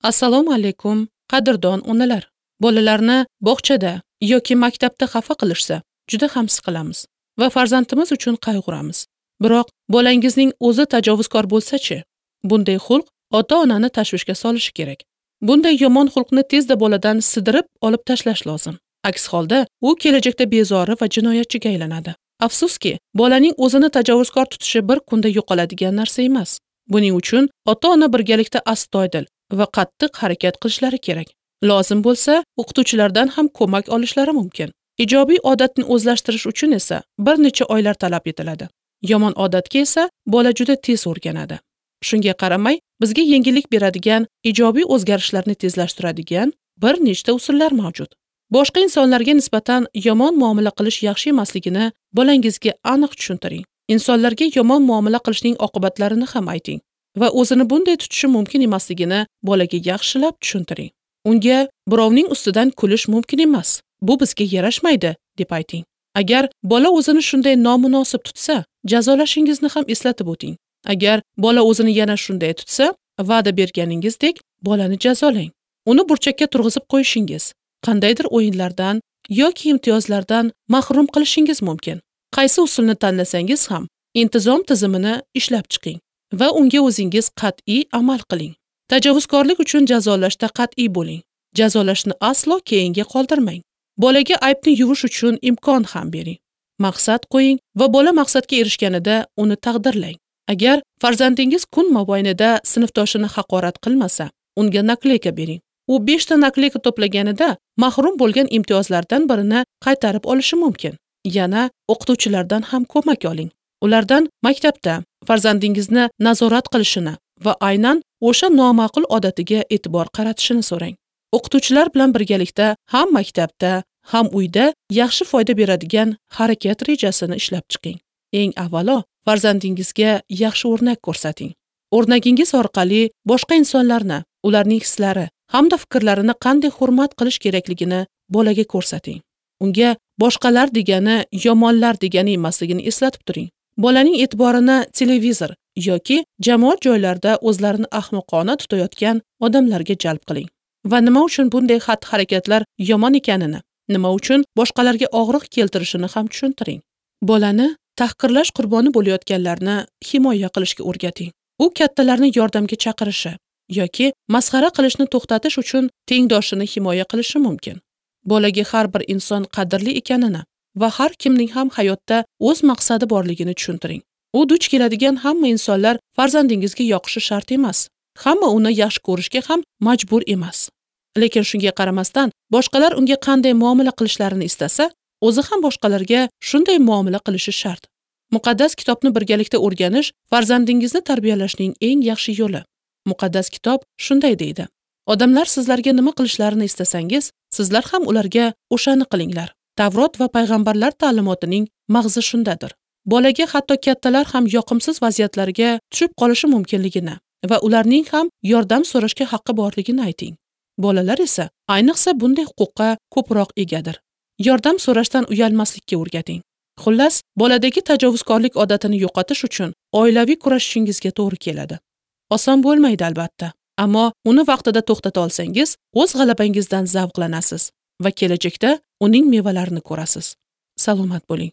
Assalomu alaykum, qadrdon onalar. Bolalarni bog'chada yoki maktabda xafa qilishsa, juda ham siqilamiz va farzandimiz uchun qayg'uramiz. Biroq bolangizning o'zi tajovuzkor bo'lsa-chi, bunday xulq ota-onani tashvishga solishi kerak. Bunday yomon xulqni tezda boladan sidirib olib tashlash lozim. Aks holda u kelajakda bezori va jinoyatchiga aylanadi. Afsuski, bolaning o'zini tajovuzkor tutishi bir kunda yo'qoladigan narsa emas. Buning uchun ota-ona birgalikda astoydil va qattiq harakat qilishlari kerak. Lozim bo'lsa, o'qituvchilardan ham ko'mak olishlari mumkin. Ijobiy odatni o'zlashtirish uchun esa bir necha oylar talab etiladi. Yomon odatga esa bola juda tez o'rganadi. Shunga qaramay, bizga yengillik beradigan, ijobiy o'zgarishlarni tezlashtiradigan bir nechta usullar mavjud. Boshqa insonlarga nisbatan yomon muomala qilish yaxshi emasligini bolangizga aniq tushuntiring. Insonlarga yomon muomala qilishning oqibatlarini ham ayting va o'zini bunday tutishi mumkin emasligini bolaga yaxshilab tushuntiring. Unga birovning ustidan kulish mumkin emas, bu bizga yarashmaydi deb ayting. Agar bola o'zini shunday nomunosib tutsa, jazolashingizni ham eslatib o'ting. Agar bola o'zini yana shunday tutsa, va'da berganingizdek bolani jazolang. Uni burchakka turg'izib qo'yishingiz, qandaydir o'yinlardan yoki imtiyozlardan mahrum qilishingiz mumkin. Qaysi usulni tanlasangiz ham intizom tizimini ishlab chiqing va unga o'zingiz qat'iy amal qiling. Tajovuzkorlik uchun jazolashda qat'iy bo'ling. Jazolashni aslo keyinga qoldirmang. Bolaga aybni yuvish uchun imkon ham bering. Maqsad qo'ying va bola maqsadga erishganida uni taqdirlang. Agar farzandingiz kun mobaynida sinfdoshini haqorat qilmasa, unga nakleyka bering. U 5 ta nakleyka to'plaganida mahrum bo'lgan imtiyozlardan birini qaytarib olishi mumkin. Yana o'qituvchilardan ham ko'mak oling. Ulardan maktabda farzandingizni nazorat qilishini va aynan o'sha noma'qul odatiga e'tibor qaratishini so'rang. O'qituvchilar bilan birgalikda ham maktabda, ham uyda yaxshi foyda beradigan harakat rejasini ishlab chiqing. Eng avvalo farzandingizga yaxshi o'rnak ko'rsating. O'rnagingiz orqali boshqa insonlarni, ularning hislari hamda fikrlarini qanday hurmat qilish kerakligini bolaga ko'rsating. Unga boshqalar degani yomonlar degani emasligini eslatib turing. Bolaning e'tiborini televizor yoki jamoat joylarida o'zlarini ahmoqona tutayotgan odamlarga jalb qiling. Va nima uchun bunday xatti-harakatlar yomon ekanini, nima uchun boshqalarga og'riq keltirishini ham tushuntiring. Bolani tahqirlash qurboni bo'layotganlarni himoya qilishga o'rgating. U kattalarni yordamga chaqirishi yoki masxara qilishni to'xtatish uchun tengdoshini himoya qilishi mumkin. Bolaga har bir inson qadrli ekanini va har kimning ham hayotda o'z maqsadi borligini tushuntiring. U duch keladigan hamma insonlar farzandingizga yoqishi shart emas. Hamma uni yaxshi ko'rishga ham majbur emas. Lekin shunga qaramasdan, boshqalar unga qanday muomala qilishlarini istasa, o'zi ham boshqalarga shunday muomala qilishi shart. Muqaddas kitobni birgalikda o'rganish farzandingizni tarbiyalashning eng yaxshi yo'li. Muqaddas kitob shunday deydi: Odamlar sizlarga nima qilishlarini istasangiz, sizlar ham ularga o'shani qilinglar. Tavrot va payg'ambarlar ta'limotining mag'zi shundadir. Bolaga hatto kattalar ham yoqimsiz vaziyatlarga tushib qolishi mumkinligini va ularning ham yordam so'rashga haqqi borligini ayting. Bolalar esa ayniqsa bunday huquqqa ko'proq egadir. Yordam so'rashdan uyalmaslikka o'rgating. Xullas, boladagi tajovuzkorlik odatini yo'qotish uchun oilaviy kurashishingizga to'g'ri keladi. Oson bo'lmaydi albatta, ammo uni vaqtida to'xtata olsangiz, o'z g'alabangizdan zavqlanasiz va kelajakda uning mevalarini ko'rasiz. Salomat bo'ling.